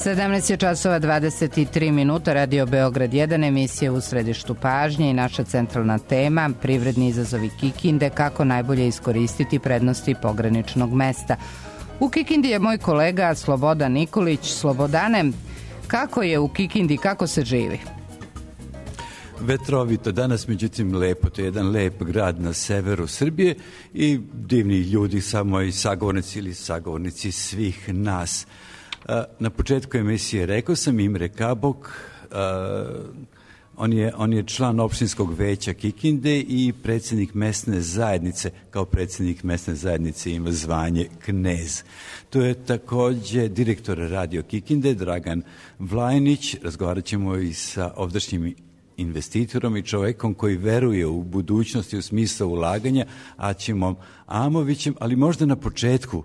17 je časova 23 minuta, Radio Beograd 1, emisija u središtu pažnje i naša centralna tema, privredni izazovi Kikinde, kako najbolje iskoristiti prednosti pograničnog mesta. U Kikindi je moj kolega Slobodan Nikolić. Slobodane, kako je u Kikindi, kako se živi? Vetrovito danas, međutim lepo, to je jedan lep grad na severu Srbije i divni ljudi, samo i sagovornici ili sagovornici svih nas. Na početku emisije rekao sam Imre Kabok, on je član opštinskog veća Kikinde i predsjednik mesne zajednice. Kao predsjednik mesne zajednice ima zvanje knez. To je također direktor Radio Kikinde, Dragan Vlajnić. Razgovarat ćemo i sa ovdašnjim investitorom i čovjekom koji veruje u budućnosti u smislu ulaganja, Aćimom Amovićem, ali možda na početku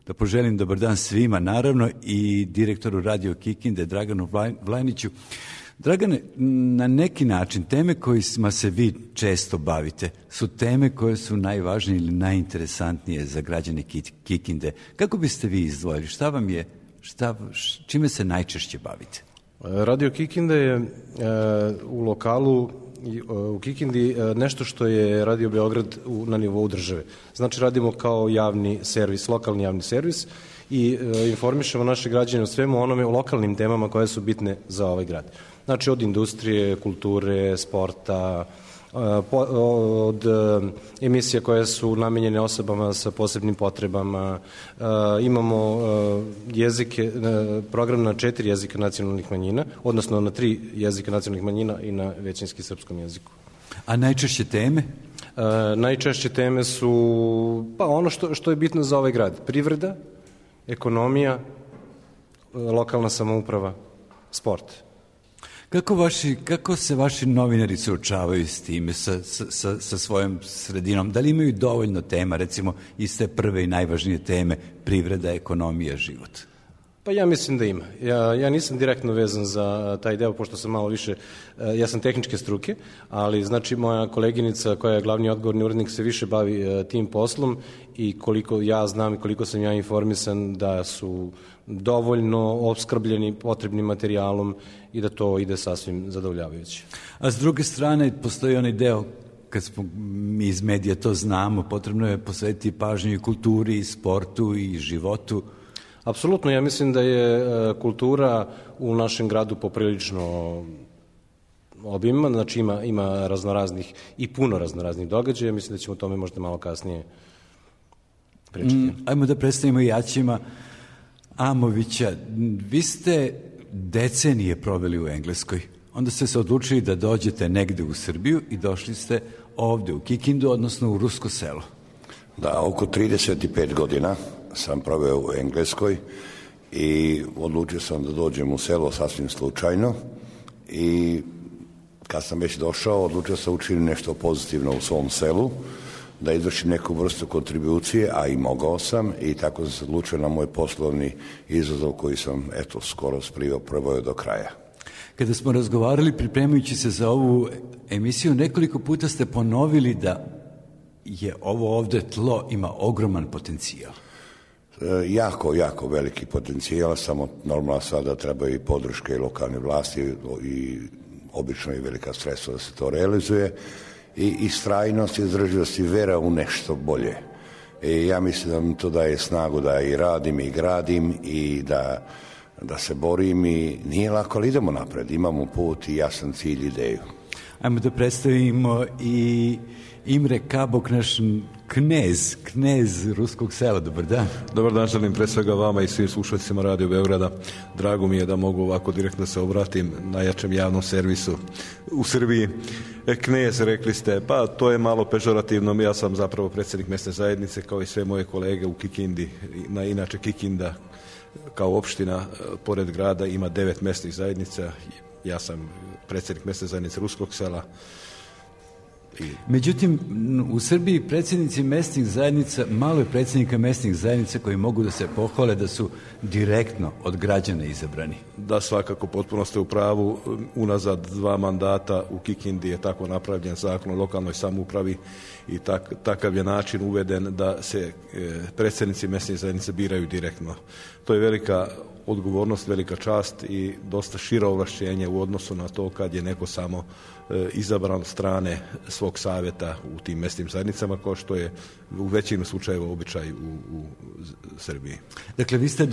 da poželim dobar dan svima, naravno i direktoru Radio Kikinde, Draganu Vlajniću. Dragane, na neki način teme kojima se vi često bavite su teme koje su najvažnije ili najinteresantnije za građane Kikinde. Kako biste vi izdvojili? Šta vam je, čime se najčešće bavite? Radio Kikinde je u lokalu u Kikindi nešto što je Radio Beograd na nivou države. Znači radimo kao javni servis, lokalni javni servis i informišemo naše građane o svemu onome, o lokalnim temama koje su bitne za ovaj grad. Znači od industrije, kulture, sporta, od emisija koje su namenjene osobama sa posebnim potrebama. Imamo jezike, program na 4 jezika nacionalnih manjina, odnosno na 3 jezika nacionalnih manjina i na većinski srpskom jeziku. A najčešće teme? Najčešće teme su ono što je bitno za ovaj grad. Privreda, ekonomija, lokalna samouprava, sport. Kako se vaši novinari suočavaju s time, sa svojom sredinom? Da li imaju dovoljno tema, recimo, iz te prve i najvažnije teme, privreda, ekonomija, život? Pa ja mislim da ima. Ja nisam direktno vezan za taj deo, pošto sam malo više, ja sam tehničke struke, ali znači moja koleginica koja je glavni odgovorni urednik se više bavi tim poslom i koliko ja znam i koliko sam ja informisan da su dovoljno opskrbljeni potrebnim materijalom i da to ide sasvim zadovoljavajuće. A s druge strane postoji onaj deo, kad smo mi iz medija to znamo, potrebno je posvetiti pažnju i kulturi, i sportu, i životu. Apsolutno, ja mislim da je kultura u našem gradu poprilično obimna, znači ima raznoraznih i puno raznoraznih događaja, mislim da ćemo o tome možda malo kasnije pričati. Ajmo da predstavimo i Aćima Amovića. Vi ste decenije proveli u Engleskoj, onda ste se odlučili da dođete negde u Srbiju i došli ste ovde u Kikindu, odnosno u Rusko selo. Da, oko 35 godina sam proveo u Engleskoj i odlučio sam da dođem u selo sasvim slučajno i kad sam već došao odlučio sam učiniti nešto pozitivno u svom selu, da izvršim neku vrstu kontribucije, a i mogao sam i tako sam se odlučio na moj poslovni izazov koji sam skoro proveo do kraja. Kada smo razgovarali pripremajući se za ovu emisiju, nekoliko puta ste ponovili da je ovo ovde tlo ima ogroman potencijal. Jako veliki potencijal, samo normalno sada treba i podrške i lokalne vlasti i obično i velika sredstva da se to realizuje i istrajnost, izdržljivost i vera u nešto bolje. I ja mislim da mi to daje snagu da i radim i gradim i da se borim i nije lako, ali idemo napred, imamo put i jasan cilj, ideju. Ajmo da predstavimo i Imre Kabok, naš knez Ruskog sela. Dobar dan. Dobar dan, želim pre svega vama i svim slušateljima Radio Beograda. Drago mi je da mogu ovako direktno se obratim najjačem javnom servisu u Srbiji. Knez, rekli ste, pa to je malo pežorativno. Ja sam zapravo predsjednik mesne zajednice kao i sve moje kolege u Kikindi. Inače Kikinda kao opština pored grada ima 9 mesnih zajednica. Ja sam predsjednik mesne zajednice Ruskog sela. Međutim, u Srbiji predsjednici mesnih zajednica, malo je predsjednika mesnih zajednica koji mogu da se pohvale da su direktno od građana izabrani. Da, svakako, potpuno ste u pravu. Unazad 2 mandata u Kikindi je tako napravljen zakon o lokalnoj samoupravi i takav je način uveden da se predsjednici mesnih zajednica biraju direktno. To je velika odgovornost, velika čast i dosta šira ovlašćenja u odnosu na to kad je neko samo izabran od strane svog savjeta u tim mesnim zajednicama, kao što je u većini slučajeva običaj u Srbiji. Dakle, vi ste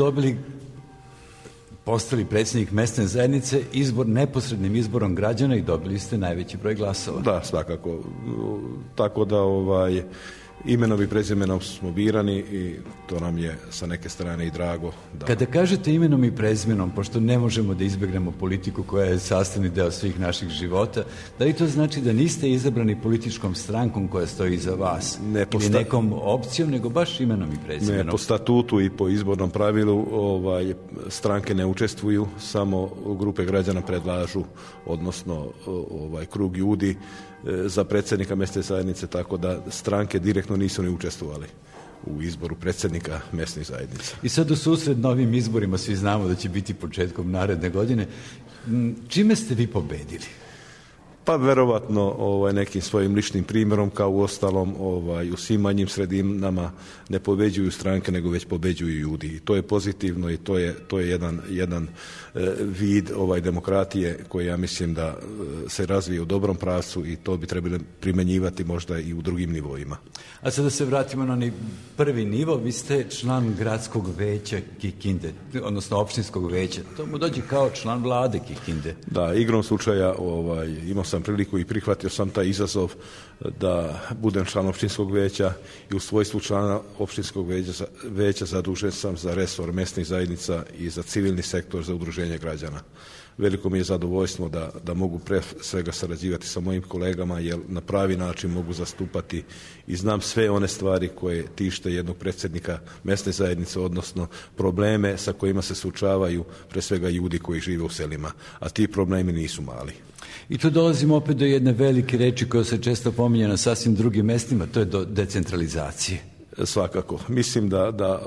postali predsjednik mesne zajednice neposrednim izborom građana i dobili ste najveći broj glasova. Da, svakako. Tako da imenom i prezimenom smo birani i to nam je sa neke strane i drago. Kada kažete imenom i prezimenom, pošto ne možemo da izbjegnemo politiku koja je sastavni deo svih naših života, da li to znači da niste izabrani političkom strankom koja stoji iza vas? Ili nekom opcijom, nego baš imenom i prezimenom? Ne, po statutu i po izbornom pravilu stranke ne učestvuju, samo grupe građana predlažu, odnosno krug ljudi za predsjednika mesne zajednice, tako da stranke direktno nisu ni učestvovali u izboru predsjednika mesnih zajednica. I sad u susret novim izborima, svi znamo da će biti početkom naredne godine, čime ste vi pobedili? Pa verovatno nekim svojim ličnim primjerom, kao u ostalom u svim manjim sredinama ne pobeđuju stranke, nego već pobeđuju ljudi. I to je pozitivno i to je jedan vid demokratije koji ja mislim da se razvije u dobrom pravcu i to bi trebali primjenjivati možda i u drugim nivoima. A sada se vratimo na onaj prvi nivo. Vi ste član gradskog veća Kikinde, odnosno opštinskog veća. To mu dođe kao član vlade Kikinde. Da, igrom slučaja imao sam priliku i prihvatio sam taj izazov da budem član opštinskog veća i u svojstvu člana opštinskog veća zadužen sam za resor mesnih zajednica i za civilni sektor, za udruženje građana. Veliko mi je zadovoljstvo da mogu pre svega sarađivati sa mojim kolegama, jer na pravi način mogu zastupati i znam sve one stvari koje tište jednog predsjednika mesne zajednice, odnosno probleme sa kojima se suočavaju pre svega ljudi koji žive u selima, a ti problemi nisu mali. I tu dolazimo opet do jedne velike reči koja se često pominje na sasvim drugim mestima, to je do decentralizacije. Svakako. Mislim da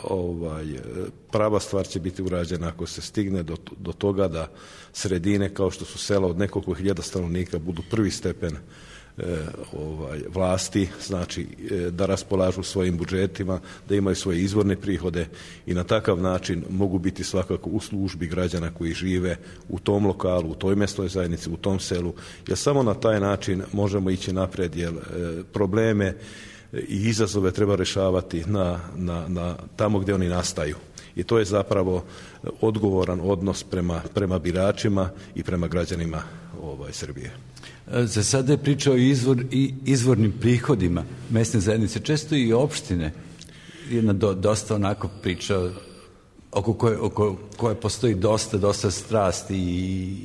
prava stvar će biti urađena ako se stigne do toga da sredine kao što su sela od nekoliko hiljada stanovnika budu prvi stepen vlasti, znači da raspolažu svojim budžetima, da imaju svoje izvorne prihode i na takav način mogu biti svakako u službi građana koji žive u tom lokalu, u toj mesnoj zajednici, u tom selu, jer samo na taj način možemo ići napred, jer probleme i izazove treba rješavati na tamo gdje oni nastaju. I to je zapravo odgovoran odnos prema biračima i prema građanima Srbije. Za sada je pričao i izvornim prihodima mesne zajednice, često i opštine. Jedna dosta onako priča oko koje postoji dosta strasti i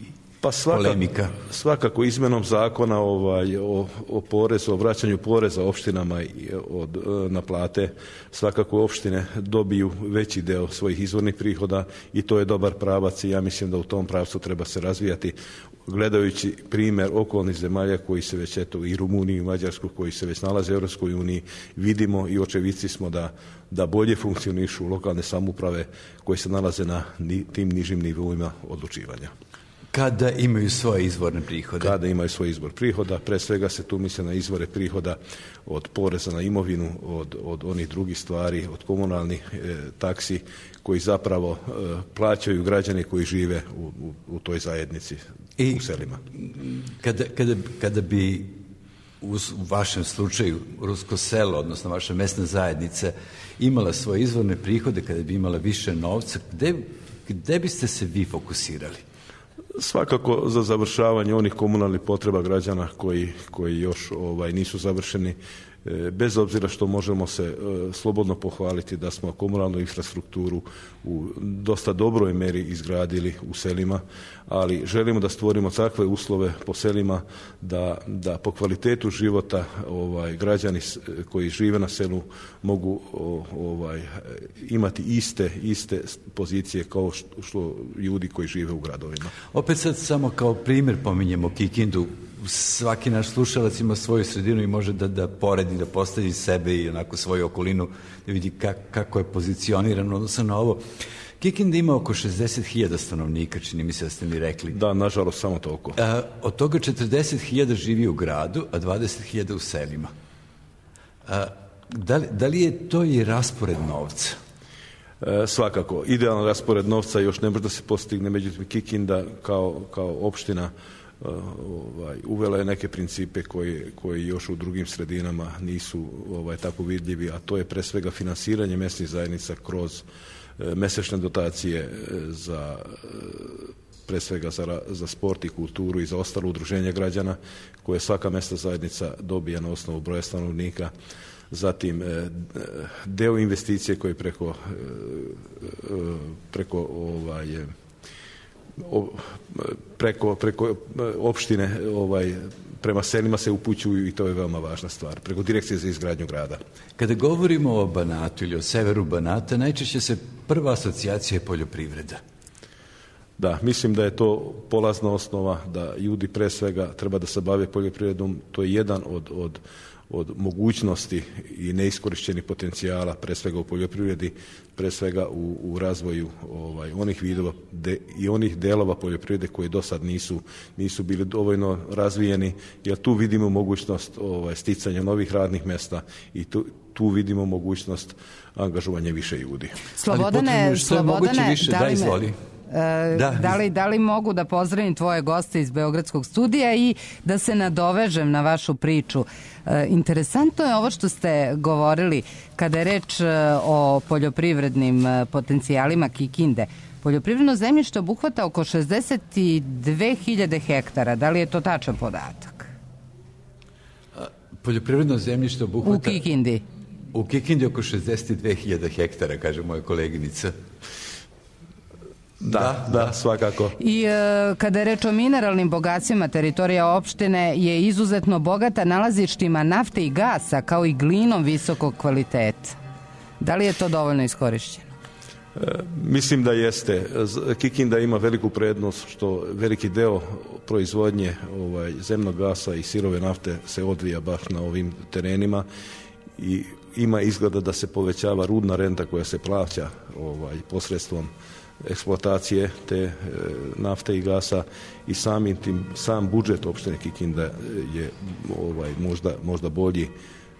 polemika. Svakako izmenom zakona o porezu, o vraćanju poreza opštinama od naplate, svakako opštine dobiju veći deo svojih izvornih prihoda i to je dobar pravac i ja mislim da u tom pravcu treba se razvijati. Gledajući primjer okolnih zemalja koji se već, i Rumuniju i Mađarsku, koji se već nalaze u Europskoj uniji, vidimo i očevici smo da bolje funkcionišu lokalne samouprave koje se nalaze na tim nižim nivoima odlučivanja. Kada imaju svoje izvorne prihode? Kada imaju svoj izvor prihoda, pre svega se tu misli na izvore prihoda od poreza na imovinu, od onih drugih stvari, od komunalnih taksi koji zapravo plaćaju građani koji žive u toj zajednici, u selima. Kada bi u vašem slučaju rusko selo, odnosno vaša mesna zajednica, imala svoje izvorne prihode, kada bi imala više novca, gde biste se vi fokusirali? Svakako za završavanje onih komunalnih potreba građana koji još nisu završeni, bez obzira što možemo se slobodno pohvaliti da smo komunalnu infrastrukturu u dosta dobroj meri izgradili u selima, ali želimo da stvorimo takve uslove po selima da po kvalitetu života građani koji žive na selu mogu imati iste pozicije kao što ljudi koji žive u gradovima. Opet sad samo kao primjer pominjemo Kikindu. Svaki naš slušalac ima svoju sredinu i može da poredi, da postavi sebe i onako svoju okolinu, da vidi kako je pozicionirano odnosno na ovo. Kikinda ima oko 60.000 stanovnika, čini mi se da ste mi rekli. Da, nažalost, samo toliko. Od toga 40.000 živi u gradu, a 20.000 u selima. Da li je to i raspored novca? Svakako, idealan raspored novca još ne može da se postigne, međutim Kikinda kao opština uvela je neke principe koji još u drugim sredinama nisu tako vidljivi, a to je pre svega finansiranje mesnih zajednica kroz mesečne dotacije za pre svega za sport i kulturu i za ostalo udruženje građana koje svaka mesna zajednica dobija na osnovu broja stanovnika. Zatim deo investicije koji preko opštine prema selima se upućuju i to je veoma važna stvar, preko Direkcije za izgradnju grada. Kada govorimo o Banatu ili o severu Banata, najčešće se prva asocijacija je poljoprivreda. Da, mislim da je to polazna osnova, da ljudi pre svega treba da se bave poljoprivredom, to je jedan od mogućnosti i neiskorišćenih potencijala, pre svega u poljoprivredi, pre svega u razvoju onih vidova i onih delova poljoprivrede koji do sad nisu bili dovoljno razvijeni, jer tu vidimo mogućnost sticanja novih radnih mesta i tu vidimo mogućnost angažovanja više ljudi. Slobodane, Da. Da li mogu da pozdravim tvoje goste iz Beogradskog studija i da se nadovežem na vašu priču? Interesantno je ovo što ste govorili kada je reč o poljoprivrednim potencijalima Kikinde. Poljoprivredno zemljište obuhvata oko 62.000 hektara. Da li je to tačan podatak? Poljoprivredno zemljište obuhvata... U Kikindi? U Kikindi oko 62.000 hektara, kaže moja koleginica. Da, svakako. I kada je reč o mineralnim bogatstvima, teritorija opštine je izuzetno bogata nalazištima nafte i gasa, kao i glinom visokog kvaliteta. Da li je to dovoljno iskorišćeno? Mislim da jeste. Kikinda ima veliku prednost što veliki deo proizvodnje zemnog gasa i sirove nafte se odvija baš na ovim terenima i ima izgleda da se povećava rudna renta koja se plaća posredstvom eksploatacije te nafte i gasa i sam budžet opštine Kikinda je možda bolji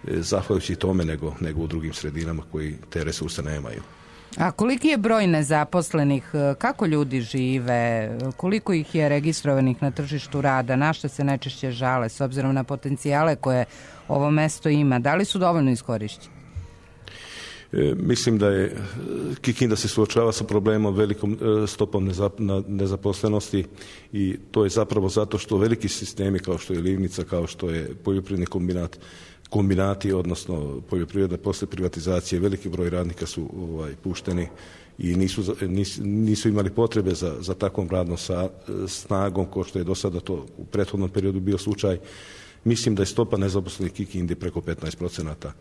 zahvaljujući tome nego u drugim sredinama koji te resurse nemaju. A koliki je broj nezaposlenih? Kako ljudi žive? Koliko ih je registrovanih na tržištu rada? Na šta se najčešće žale s obzirom na potencijale koje ovo mesto ima? Da li su dovoljno iskorišćeni? Mislim da je Kikinda se suočava sa problemom velikom stopom nezaposlenosti i to je zapravo zato što veliki sistemi kao što je Livnica, kao što je poljoprivredni kombinati, odnosno poljoprivreda posle privatizacije, veliki broj radnika su pušteni i nisu imali potrebe za takvom radnom snagom kao što je do sada to u prethodnom periodu bio slučaj. Mislim da je stopa nezaposlenih Kikindi preko 15%,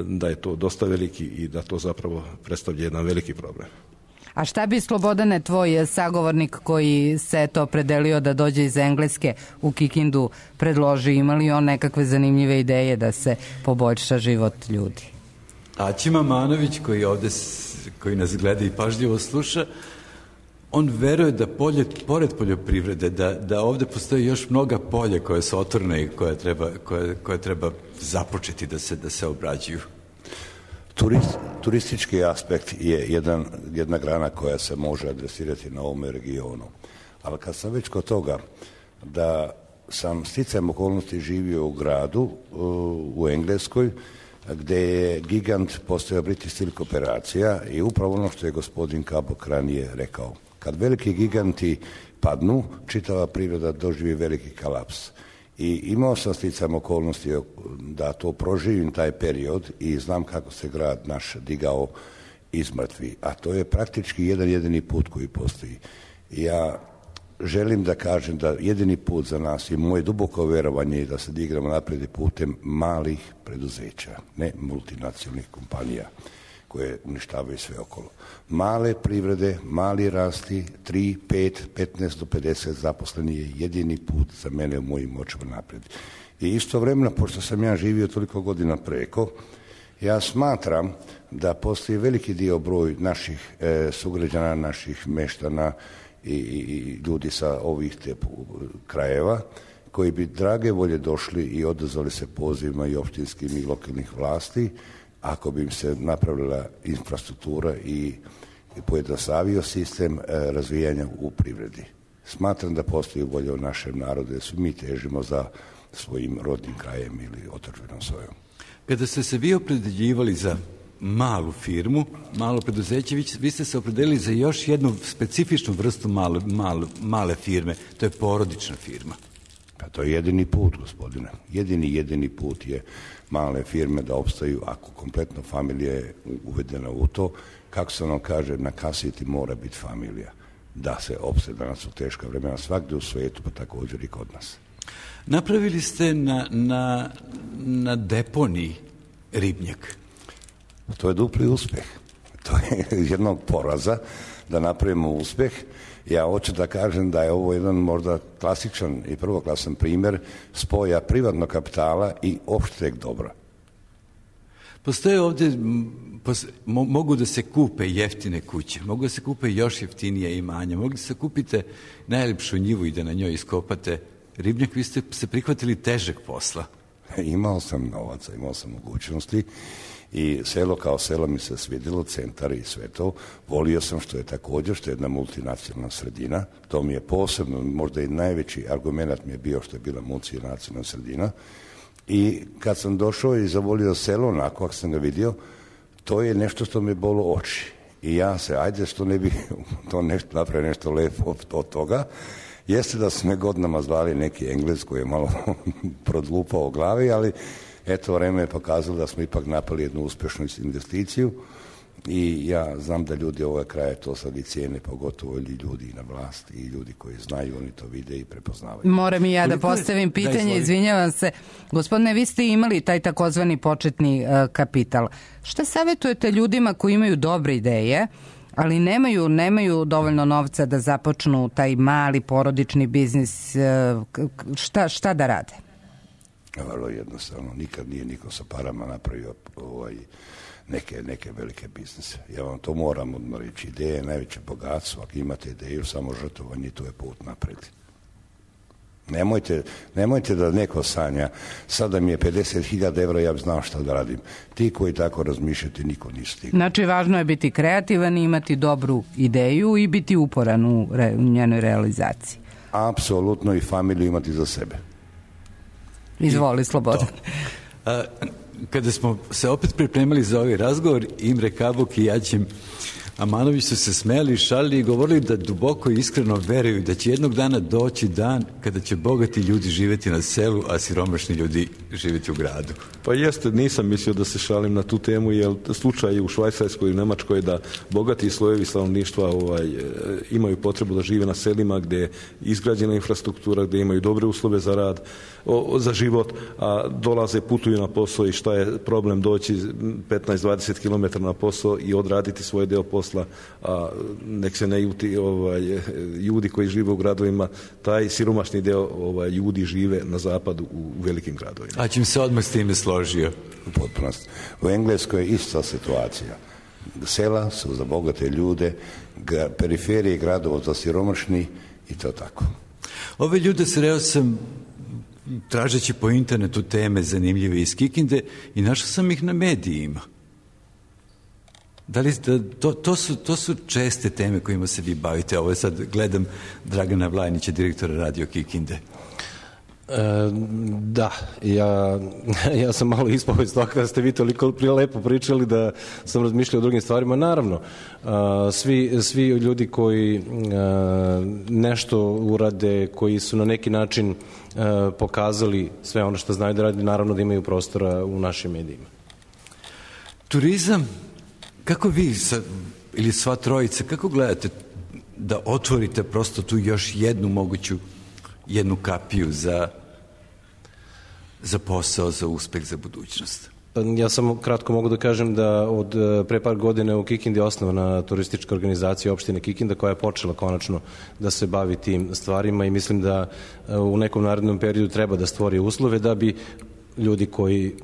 da je to dosta veliki i da to zapravo predstavlja jedan veliki problem. A šta bi, Slobodane, tvoj sagovornik koji se to opredelio da dođe iz Engleske u Kikindu predloži? Ima li on nekakve zanimljive ideje da se poboljša život ljudi? Aćima Manović koji nas gleda i pažljivo sluša, on veruje da pored poljoprivrede, da ovde postoji još mnoga polja koja su otvorena i koja treba započeti da se obrađuju. Turistički aspekt je jedna grana koja se može adresirati na ovom regionu. Ali kad sam već kod toga da sam sticajem okolnosti živio u gradu u Engleskoj, gde je gigant postojao British Steel kooperacija i upravo ono što je gospodin Kabok ranije rekao. Kad veliki giganti padnu, čitava priroda doživi veliki kolaps. I imao sam sticajem okolnosti da to proživim taj period i znam kako se grad naš digao iz mrtvi. A to je praktički jedan jedini put koji postoji. Ja želim da kažem da jedini put za nas i moje duboko verovanje je da se digramo napred putem malih preduzeća, ne multinacionalnih kompanija koje uništavaju sve okolo. Male privrede, mali rasti, 3, 5, 15 do 50 zaposleni je jedini put za mene u mojim očima napred. I istovremeno, pošto sam ja živio toliko godina preko, ja smatram da postoji veliki dio broj naših sugrađana, naših meštana i ljudi sa ovih krajeva koji bi drage volje došli i odazvali se pozivima i opštinskim i lokalnih vlasti ako bi im se napravila infrastruktura i pojednostavio sistem razvijanja u privredi. Smatram da postoji volja u našem narodu, jer svi mi težimo za svojim rodnim krajem ili otadžbinom svojom. Kada ste se vi opredeljivali za malu firmu, malo preduzeće, vi ste se opredelili za još jednu specifičnu vrstu male firme, to je porodična firma. Pa to je jedini put, gospodine. Jedini put je male firme da opstaju ako kompletno familija je uvedena u to. Kako se ono kaže, na kasiti mora biti familija. Da se opstaje, danas su teška vremena svakde u svijetu, pa također i kod nas. Napravili ste na deponiji ribnjak. To je dupli uspjeh. To je jednog poraza da napravimo uspjeh. Ja hoću da kažem da je ovo jedan možda klasičan i prvoklasan primjer spoja privatnog kapitala i opšteg dobra. Postoje ovdje, mogu da se kupe jeftine kuće, mogu da se kupe još jeftinije imanja, mogu da se kupite najljepšu njivu i da na njoj iskopate ribnjak. Vi ste se prihvatili težeg posla. Imao sam novaca, imao sam mogućnosti i selo kao selo mi se svidjelo, centar i sve to. Volio sam što je jedna multinacionalna sredina. To mi je posebno, možda i najveći argument mi je bio što je bila multinacionalna sredina. I kad sam došao i zavolio selo, onako ako sam ga vidio, to je nešto što mi bolo oči. I ja se, ajde što ne bi to nešto napravio nešto lepo od toga. Jeste da su me godinama zvali neki Englez koji je malo prodlupao u glavi, ali eto, vreme je pokazalo da smo ipak napali jednu uspješnu investiciju i ja znam da ljudi ovog kraja to sad i cijene, pogotovo ljudi na vlasti i ljudi koji znaju, oni to vide i prepoznavaju. Moram i ja da postavim pitanje, izvinjavam se. Gospodine, vi ste imali taj takozvani početni kapital. Šta savjetujete ljudima koji imaju dobre ideje, ali nemaju dovoljno novca da započnu taj mali porodični biznis, šta da rade? Vrlo jednostavno, nikad nije niko sa parama napravio neke velike biznise. Ja vam to moram odmah reći. Ideja je najveće bogatstvo. Ako imate ideju, samo žrtvovanje, to je put napred. Nemojte da neko sanja, sada mi je 50.000 evra, ja bi znao šta da radim. Ti koji tako razmišljate, niko nisi stigao. Znači, važno je biti kreativan i imati dobru ideju i biti uporan u njenoj realizaciji. Apsolutno, i familiju imati za sebe. Izvoli, Slobodan. Kada smo se opet pripremali za ovaj razgovor, Imre Kabuk i Jaćim Amanović su se smejali, šalili i govorili da duboko i iskreno veruju da će jednog dana doći dan kada će bogati ljudi živjeti na selu, a siromašni ljudi živjeti u gradu. Pa jeste, nisam mislio da se šalim na tu temu, jer slučaj u Švajcarskoj i Nemačkoj da bogati slojevi stanovništva imaju potrebu da žive na selima gdje je izgrađena infrastruktura, gdje imaju dobre uslove za rad, za život, a dolaze, putuju na posao i šta je problem doći 15-20 km na posao i odraditi svoj deo posla, a nek se ne ljuti ljudi koji žive u gradovima, taj siromašni deo ljudi žive na zapadu u velikim gradovima. A čim se odmah s time složio? U potpunosti. U Engleskoj je ista situacija. Sela su za bogate ljude, periferije gradova za siromašni i to tako. Ove ljude sreo sam tražeći po internetu teme zanimljive iz Kikinde i našao sam ih na medijima. To su česte teme kojima se vi bavite. Ovo sad gledam Dragana Vlajnića, direktora Radio Kikinde. Da, ja sam malo ispao iz toga kada ste vi toliko lepo pričali da sam razmišljao o drugim stvarima. Naravno, svi ljudi koji nešto urade, koji su na neki način pokazali sve ono što znaju da radi, naravno da imaju prostora u našim medijima. Turizam, kako vi ili sva trojica, kako gledate da otvorite prosto tu još jednu kapiju za posao, za uspeh, za budućnost? Ja samo kratko mogu da kažem da od pre par godina u Kikindi je osnovana turistička organizacija opštine Kikinda koja je počela konačno da se bavi tim stvarima i mislim da u nekom narednom periodu treba da stvori uslove da bi ljudi koji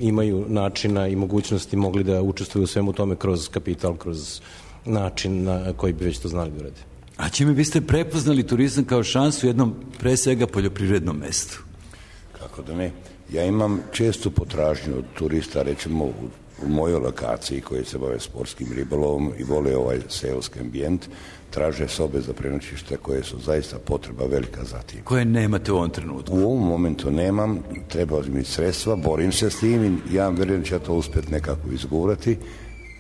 imaju načina i mogućnosti mogli da učestvuju u svemu tome kroz kapital, kroz način na koji bi već to znali da urade. A čime biste prepoznali turizam kao šansu u jednom pre svega poljoprivrednom mestu? Kako da ne? Ja imam čestu potražnju od turista, recimo u mojoj lokaciji koji se bave sportskim ribolovom i vole ovaj seoski ambijent, traže sobe za prenoćište koje su zaista potreba velika za tim. Koje nemate u ovom trenutku? U ovom momentu nemam, treba mi sredstva, borim se s tim i ja vjerujem da će to uspjeti nekako izgurati,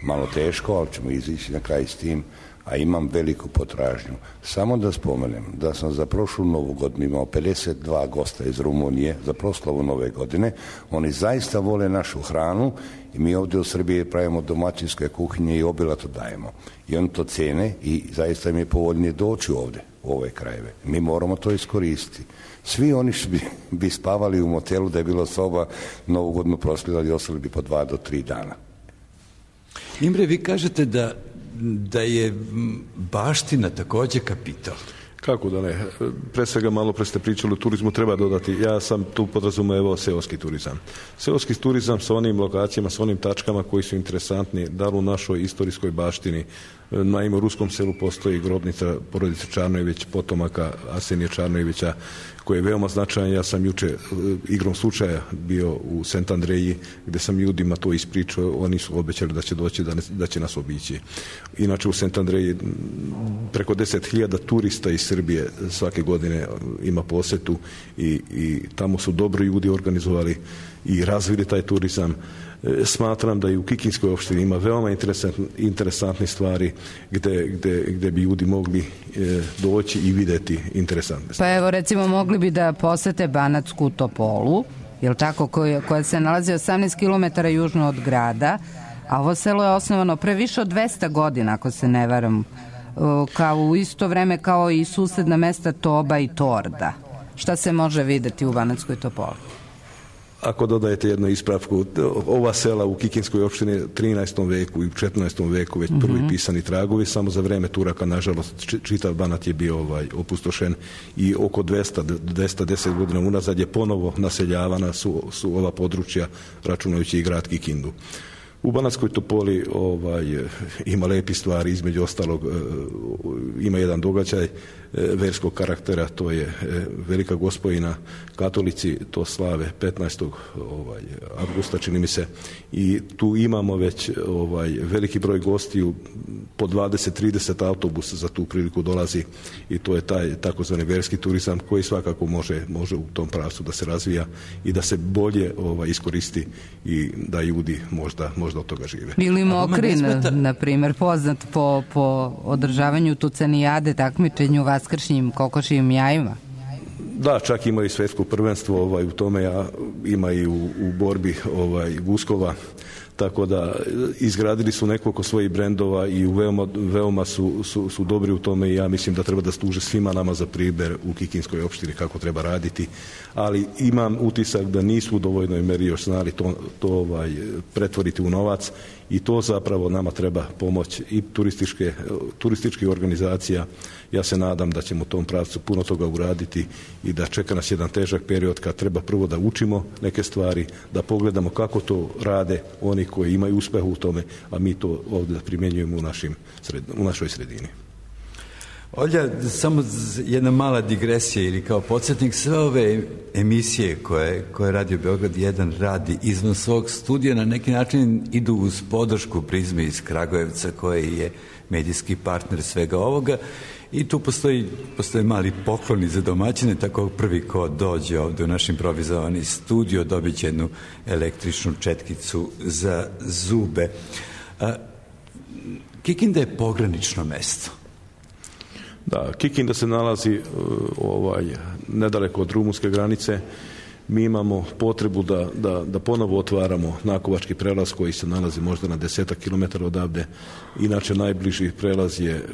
malo teško, ali ćemo izići na kraj s tim, a imam veliku potražnju. Samo da spomenem da sam za prošlu novu godinu imao 52 gosta iz Rumunije za proslavu nove godine. Oni zaista vole našu hranu i mi ovdje u Srbiji pravimo domaćinske kuhinje i obilato dajemo. I oni to cene i zaista im je povoljnije doći ovdje, u ove krajeve. Mi moramo to iskoristiti. Svi oni bi spavali u motelu da je bilo soba, novu godinu proslavljali i ostali bi po 2 do 3 dana. Imre, vi kažete da je baština također kapital. Kako da ne? Pre svega malo pre ste pričali o turizmu, treba dodati, ja sam tu podrazumevao seoski turizam. Seoski turizam sa onim lokacijama, sa onim tačkama koji su interesantni, da li u našoj istorijskoj baštini. Naime, u Ruskom selu postoji grobnica porodice Čarnojević, potomaka Arsenija Čarnojevića, koji je veoma značajan. Ja sam juče igrom slučaja bio u Sent Andreji, gdje sam ljudima to ispričao, oni su obećali da će doći, da će nas obići. Inače u Sent Andreji preko 10.000 turista iz Srbije svake godine ima posjetu i tamo su dobro ljudi organizovali i razvili taj turizam. Smatram da i u Kikinskoj opštini ima veoma interesantne stvari gdje bi ljudi mogli doći i vidjeti interesantne stvari. Pa evo recimo mogli bi da posete Banatsku Topolu, jel tako, koja se nalazi 18 km južno od grada, a ovo selo je osnovano pre više od 200 godina, ako se ne varam, kao u isto vreme kao i susedna mesta Toba i Torda. Šta se može videti u Banatskoj Topoli? Ako dodajete jednu ispravku, ova sela u Kikinskoj opštini 13. veku i u 14. veku već prvi pisani tragovi, samo za vreme Turaka, nažalost, čitav Banat je bio opustošen i oko 210 godina unazad je ponovo naseljavana su ova područja, računajući i grad Kikindu. U Banatskoj Topoli ima lepi stvari, između ostalog ima jedan događaj verskog karaktera, to je Velika Gospojina, katolici to slave 15. avgusta, čini mi se, i tu imamo već veliki broj gostiju, po 20-30 autobusa za tu priliku dolazi i to je taj takozvani verski turizam koji svakako može u tom pravcu da se razvija i da se bolje iskoristi i da ljudi možda od toga žive. Ili Mokrin, na primjer, poznat po održavanju tucanijade, takmičenju vaskršnjim kokošijim jajima. Da, čak ima i svjetsko prvenstvo u tome, ima i u borbi guskova, tako da izgradili su nekoliko svojih brendova i veoma su dobri u tome i ja mislim da treba da služe svima nama za primjer u Kikinskoj opštini kako treba raditi, ali imam utisak da nisu u dovoljnoj meri još znali to pretvoriti u novac i to zapravo nama treba pomoć i turističkih organizacija. Ja se nadam da ćemo u tom pravcu puno toga uraditi i da čeka nas jedan težak period kad treba prvo da učimo neke stvari, da pogledamo kako to rade oni koji imaju uspeh u tome, a mi to ovdje da primjenjujemo u našoj sredini. Olja, samo jedna mala digresija ili kao podsjetnik, sve ove emisije koje Radio Beograd 1 radi izvan svog studija na neki način idu uz podršku Prizme iz Kragujevca koji je medijski partner svega ovoga i tu postoje mali pokloni za domaćine, tako prvi ko dođe ovdje u naš improvizovani studio dobit će jednu električnu četkicu za zube. Kikinda je pogranično mesto. Da, Kikinda se nalazi nedaleko od rumunske granice. Mi imamo potrebu da ponovo otvaramo Nakovački prelaz koji se nalazi možda na 10 km odavde. Inače najbliži prelaz je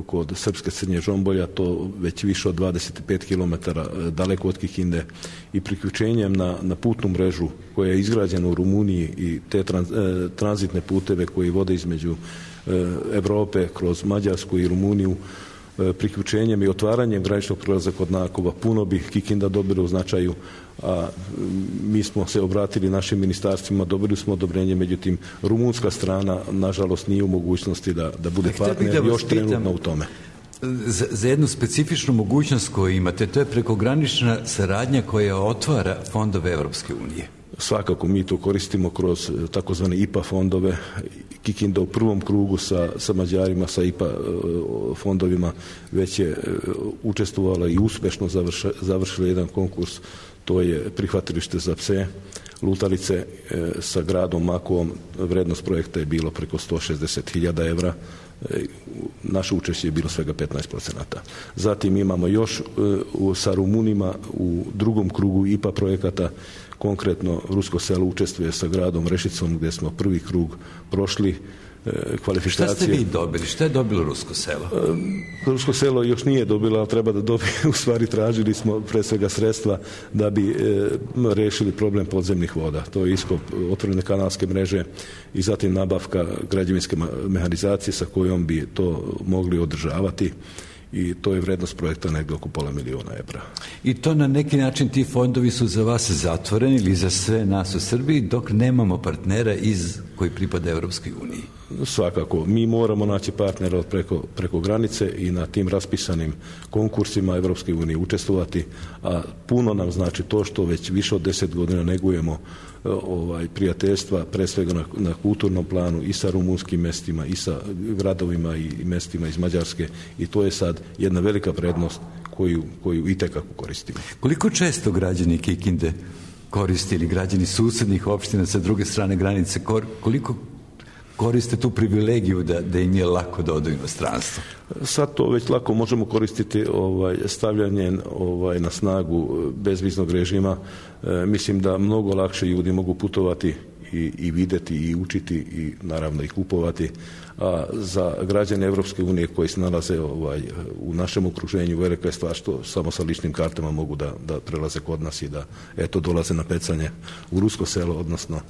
kod Srpske Crnje Žombolja, to već više od 25 km daleko od Kikinde i priključenjem na putnu mrežu koja je izgrađena u Rumuniji i te tranzitne puteve koji vode između Evrope kroz Mađarsku i Rumuniju, priključenjem i otvaranjem graničnog prelaza kod Nakova puno bi Kikinda dobila u značaju, a mi smo se obratili našim ministarstvima, dobili smo odobrenje, međutim rumunska strana nažalost nije u mogućnosti da bude partner još trenutno u tome. Za jednu specifičnu mogućnost koju imate, to je prekogranična saradnja koja otvara fondove Evropske unije. Svakako mi to koristimo kroz takozvane IPA fondove. Kikinda u prvom krugu sa Mađarima, sa IPA fondovima već je učestvovala i uspešno završila jedan konkurs, to je prihvatilište za pse lutalice sa gradom Makovom. Vrednost projekta je bilo preko 160.000 evra. Naše učešće je bilo svega 15%. Zatim imamo još sa Rumunima u drugom krugu IPA projekata. Konkretno Rusko selo učestvuje sa gradom Rešicom gdje smo prvi krug prošli kvalifikacije. Šta ste vi dobili? Šta je dobilo Rusko selo? Rusko selo još nije dobilo, ali treba da dobije. U stvari tražili smo pre svega sredstva da bi rešili problem podzemnih voda. To je iskop otvorene kanalske mreže i zatim nabavka građevinske mehanizacije sa kojom bi to mogli održavati. I to je vrednost projekta negdje oko $500.000 evra. I to na neki način ti fondovi su za vas zatvoreni ili za sve nas u Srbiji dok nemamo partnera koji pripada Evropskoj uniji? Svakako, mi moramo naći partnera preko granice i na tim raspisanim konkursima Evropske unije učestvovati, a puno nam znači to što već više od 10 godina negujemo prijateljstva, pre svega na kulturnom planu i sa rumunskim mestima i sa gradovima i mestima iz Mađarske, i to je sad jedna velika prednost koju itekako koristimo. Koliko često građani Kikinde koriste ili građani susednih opština sa druge strane granice, koliko koriste tu privilegiju da im je lako da odu u inostranstvo? Sad to već lako možemo koristiti stavljanjem na snagu bezviznog režima. Mislim da mnogo lakše ljudi mogu putovati i videti i učiti i naravno i kupovati. A za građane Evropske unije koji se nalaze u našem okruženju velika je stvar što samo sa ličnim kartama mogu da prelaze kod nas i da dolaze na pecanje u Rusko selo, odnosno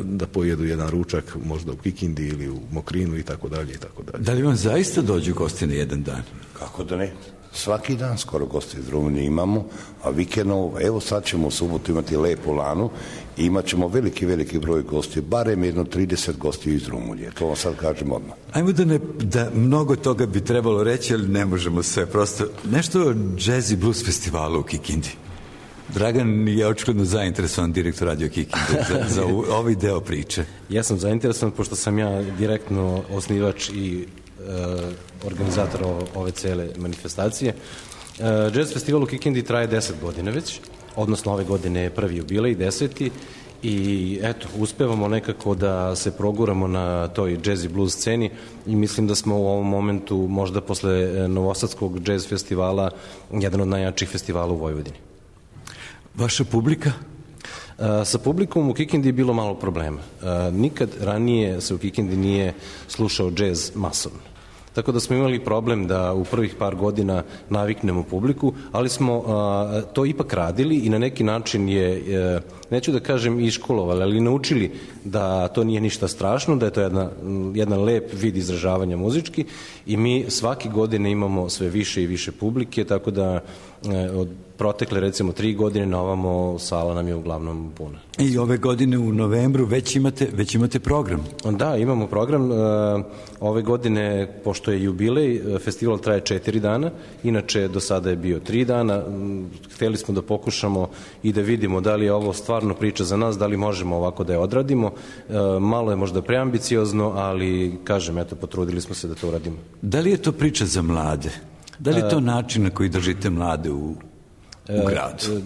da pojedu jedan ručak možda u Kikindi ili u Mokrinu i tako dalje i tako dalje. Da li vam zaista dođu gosti na jedan dan? Kako da ne? Svaki dan skoro gosti iz Rumunije imamo, a vikendom, evo sad ćemo u subotu imati lepu lanu i imat ćemo veliki broj gosti, barem jedno 30 gosti iz Rumunije, to vam sad kažem odmah. Ajmo da mnogo toga bi trebalo reći, ali ne možemo sve, prosto nešto o Jazz i Blues festivalu u Kikindi. Dragan je očigledno zainteresovan, direktor Radio Kikinde, za ovaj deo priče. Ja sam zainteresovan, pošto sam ja direktno osnivač i organizator ove cele manifestacije. Jazz festival u Kikindi traje 10 godina već, odnosno ove godine je prvi jubilej, 10. I eto, uspevamo nekako da se proguramo na toj jazz i blues sceni i mislim da smo u ovom momentu, možda posle Novosadskog jazz festivala, jedan od najjačih festivala u Vojvodini. Vaša publika? Sa publikom u Kikindi je bilo malo problema. Nikad ranije se u Kikindi nije slušao džez masovno. Tako da smo imali problem da u prvih par godina naviknemo publiku, ali smo to ipak radili i na neki način je, neću da kažem iškolovali, ali naučili da to nije ništa strašno, da je to jedan lep vid izražavanja muzički i mi svake godine imamo sve više i više publike, tako da od protekle recimo 3 godine na ovamo sala nam je uglavnom puna. I ove godine u novembru već imate program? Da, imamo program. Ove godine, pošto je jubilej, festival traje 4 dana, inače do sada je bio 3 dana. Hteli smo da pokušamo i da vidimo da li je ovo stvarno priča za nas, da li možemo ovako da je odradimo. Malo je možda preambiciozno, ali kažem, eto, potrudili smo se da to uradimo. Da li je to priča za mlade? Da li je to način na koji držite mlade u gradu?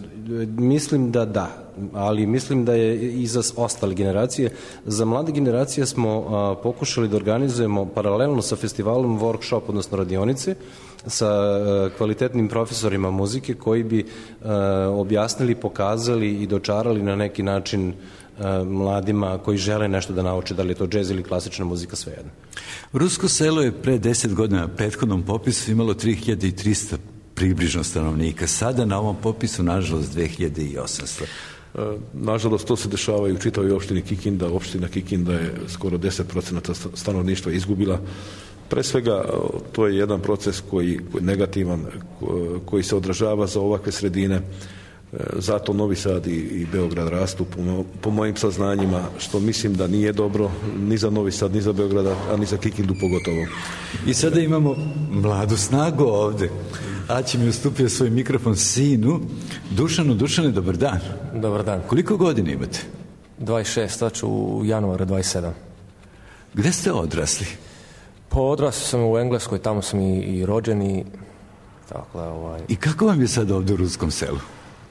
Mislim da, ali mislim da je i za ostale generacije. Za mlade generacije smo pokušali da organizujemo paralelno sa festivalom workshop, odnosno radionice, sa kvalitetnim profesorima muzike koji bi objasnili, pokazali i dočarali na neki način mladima koji žele nešto da nauče, da li je to džez ili klasična muzika, svejedno. Rusko selo je pre 10 godina na prethodnom popisu imalo 3300 približno stanovnika. Sada na ovom popisu, nažalost, 2800. Nažalost, to se dešava i u čitavoj opštini Kikinda. Opština Kikinda je skoro 10% stanovništva izgubila. Pre svega, to je jedan proces koji negativan, koji se odražava za ovakve sredine. Zato Novi Sad i Beograd rastu po mojim saznanjima, što mislim da nije dobro ni za Novi Sad, ni za Beograd, a ni za Kikindu pogotovo. I sada imamo mladu snagu ovde. Aći mi ustupio svoj mikrofon sinu. Dušane, dobar dan. Dobar dan. Koliko godina imate? 26, sad ću u januaru 27. Gde ste odrasli? Pa odrasli sam u Engleskoj, tamo sam i rođen i tako I kako vam je sad ovdje u Ruskom Selu?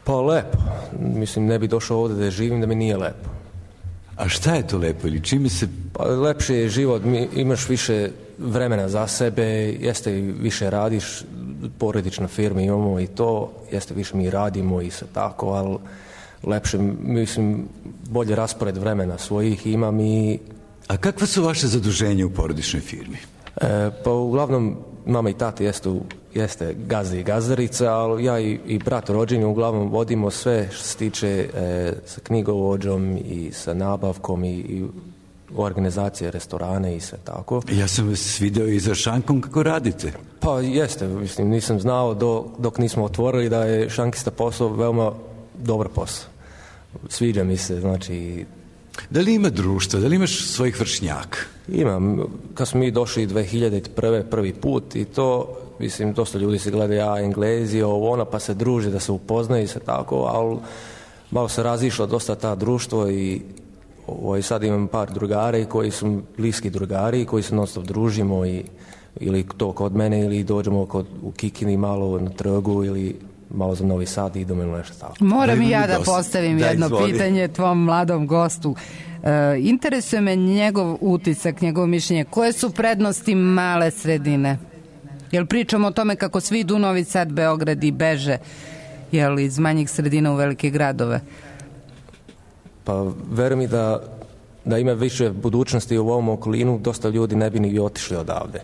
Pa lepo. Mislim, ne bi došao ovdje da živim da mi nije lepo. A šta je to lepo ili čime se... Pa lepši je život, imaš više vremena za sebe, jeste više radiš, porodična firma imamo i to, jeste više mi radimo i sve tako, ali lepše, mislim, bolje raspored vremena svojih imam i... A kakva su vaše zaduženja u porodičnoj firmi? Pa uglavnom mama i tata jeste gazda i gazdarica, ali ja i brat rođeni uglavnom vodimo sve što se tiče sa knjigovođom i sa nabavkom i organizacije restorane i sve tako. Ja sam vas video i za šankom kako radite. Pa jeste, mislim, nisam znao dok nismo otvorili da je šankista posao veoma dobar posao. Sviđa mi se, znači... Da li ima društva, da li imaš svojih vršnjaka? Imam, kad smo mi došli 2001. prvi put i to, mislim, dosta ljudi se gleda, Englezi, pa se druže, da se upoznaju i sve tako, ali malo se razišlo dosta ta društvo i sad imam par drugari koji su bliski drugari, koji se non stop družimo ili to kod mene ili dođemo u Kikindi malo na trgu ili malo za Novi Sad i idemo ili nešto tako. Moram i ja da postavim jedno pitanje tvom mladom gostu. Interesuje me njegov utisak, njegovo mišljenje. Koje su prednosti male sredine? Jel pričamo o tome kako svi idu u Novi Sad, Beograd i beže iz manjih sredina u velike gradove? Pa verujem mi da ima više budućnosti u ovom okolinu, dosta ljudi ne bi ni otišli odavde.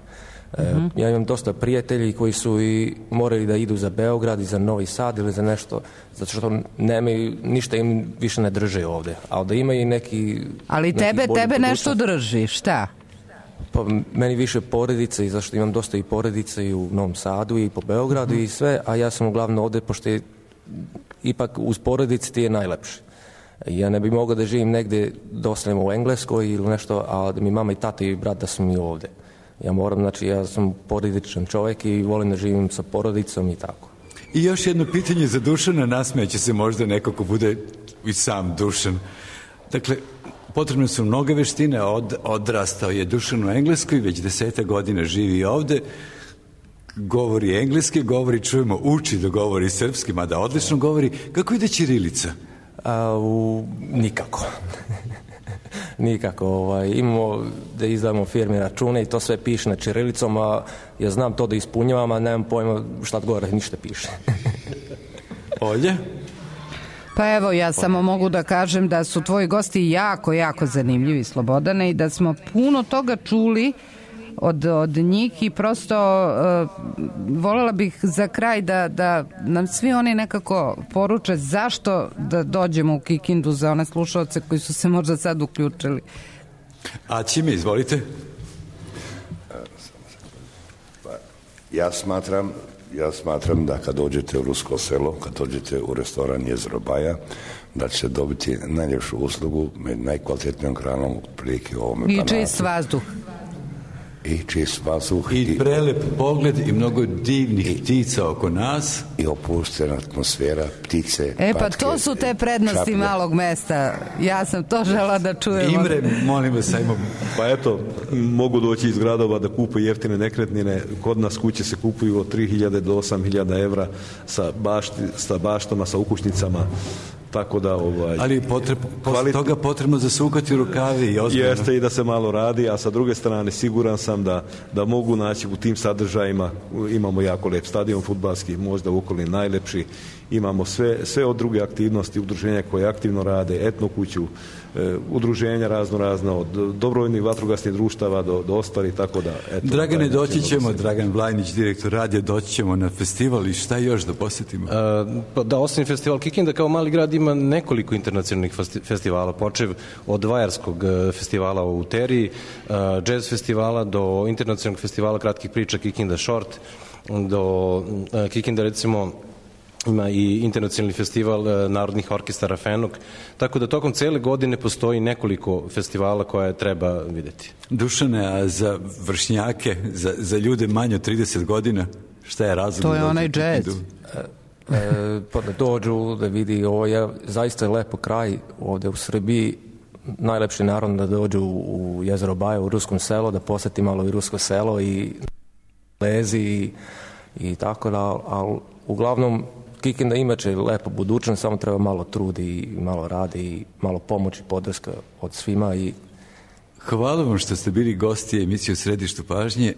Ja imam dosta prijatelji koji su i morali da idu za Beograd i za Novi Sad ili za nešto, zato što nemaju, ništa im više ne drže ovde. Ali da imaju neki... Ali tebe nešto drži, šta? Pa meni više porodice i zašto imam dosta i porodice i u Novom Sadu i po Beogradu i sve, a ja sam uglavnom ovde pošto je, ipak uz porodice ti je najlepše. Ja ne bi mogao da živim negde da ostanem u Engleskoj ili nešto, a da mi mama i tata i brat da su mi ovde. Ja moram, znači ja sam porodičan čovjek i volim da živim sa porodicom i tako. I još jedno pitanje za Dušana, nasmeće se možda neko ko bude i sam Dušan. Dakle, potrebne su mnoge veštine, odrastao je Dušan u Engleskoj, već 10 godina živi ovde, govori engleski, čujemo, uči da govori srpski, mada odlično govori. Kako ide ćirilica? Nikako. Nikako. Imamo da izdamo firmi račune i to sve piše na ćirilicom, a ja znam to da ispunjavam, a nemam pojma šta gore ništa piše. Olje? Pa evo, ja samo mogu da kažem da su tvoji gosti jako, jako zanimljivi, Slobodane, i da smo puno toga čuli od njih i prosto voljela bih za kraj da nam svi oni nekako poruče zašto da dođemo u Kikindu za one slušalce koji su se možda sad uključili. A čime, izvolite? Ja smatram da kad dođete u Rusko Selo, kad dođete u restoran Jezero Baja, da ćete dobiti najljepšu uslugu med najkvalitetnijom hranom prilike u ovome Banatu. I čist vazduh. I čist vazduh. I prelep pogled i mnogo divnih ptica oko nas. I opuštena atmosfera, ptice, pa to su te prednosti čaplje. Malog mesta. Ja sam to žela da čujem. Imre, molim vas, ajmo. Pa eto, mogu doći iz gradova da kupuju jeftine nekretnine. Kod nas kuće se kupuju od 3.000 do 8.000 evra sa baštama, sa ukućnicama. Tako da ali posle toga potrebno zasukati rukavi i ozbiljno. Jeste i da se malo radi, a sa druge strane siguran sam da mogu naći u tim sadržajima. Imamo jako lep stadion fudbalski, možda u okolini najlepši. Imamo sve od druge aktivnosti, udruženja koje aktivno rade, etno kuću, udruženja razno, od dobrovoljnih vatrogasnih društava do ostalih, tako da... Dragane, doći ćemo, Dragan Vlajnić, direktor radija, doći ćemo na festival i šta još da posjetimo? Da, osim festival Kikinda, kao mali grad ima nekoliko internacionalnih festivala, počev od Vajarskog festivala u Teriji, jazz festivala, do internacionalnog festivala kratkih priča Kikinda Short, do Kikinda, recimo, ima i internacionalni festival narodnih orkestara Fenok, tako da tokom cele godine postoji nekoliko festivala koje treba videti. Dušane, a za vršnjake, za ljude manje od 30 godina, Šta je razlog? To je onaj džez. Pa da dođu, da vidi, ovo je zaista lepo kraj ovde u Srbiji. Najlepši naravno da dođu u jezero Baja, u Ruskom selo, da poseti malo i Rusko selo i lezi i tako da, ali uglavnom Kikinda imaće lepo budućnost, samo treba malo trudi i malo radi i malo pomoći, podrška od svima. Hvala vam što ste bili gosti emisije u Središtu pažnje.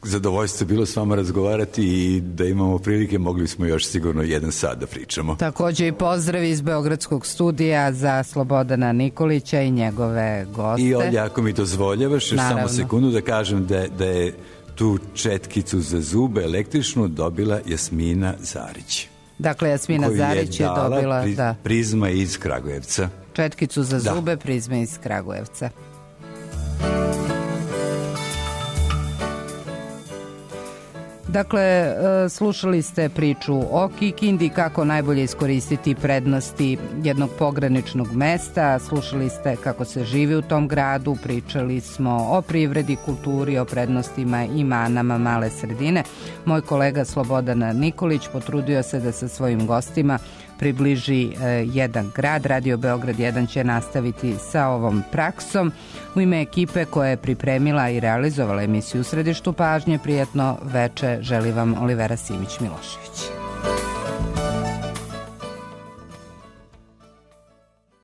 Zadovoljstvo je bilo s vama razgovarati i da imamo prilike, mogli smo još sigurno 1 sat da pričamo. Takođe i pozdrav iz Beogradskog studija za Slobodana Nikolića i njegove goste. I Olja, ako mi dozvoljavaš, još samo sekundu da kažem da je tu četkicu za zube električnu dobila Jasmina Zarić. Dakle, Jasmina Zarić je dobila Prizma iz Kragujevca. Četkicu za zube, Prizma iz Kragujevca. Dakle, slušali ste priču o Kikindi, kako najbolje iskoristiti prednosti jednog pograničnog mesta, slušali ste kako se živi u tom gradu, pričali smo o privredi, kulturi, o prednostima i manama male sredine. Moj kolega Slobodan Nikolić potrudio se da sa svojim gostima približi jedan grad. Radio Beograd 1 će nastaviti sa ovom praksom. U ime ekipe koja je pripremila i realizovala emisiju u Središtu pažnje, prijatno veče želi vam Olivera Simić-Milošević.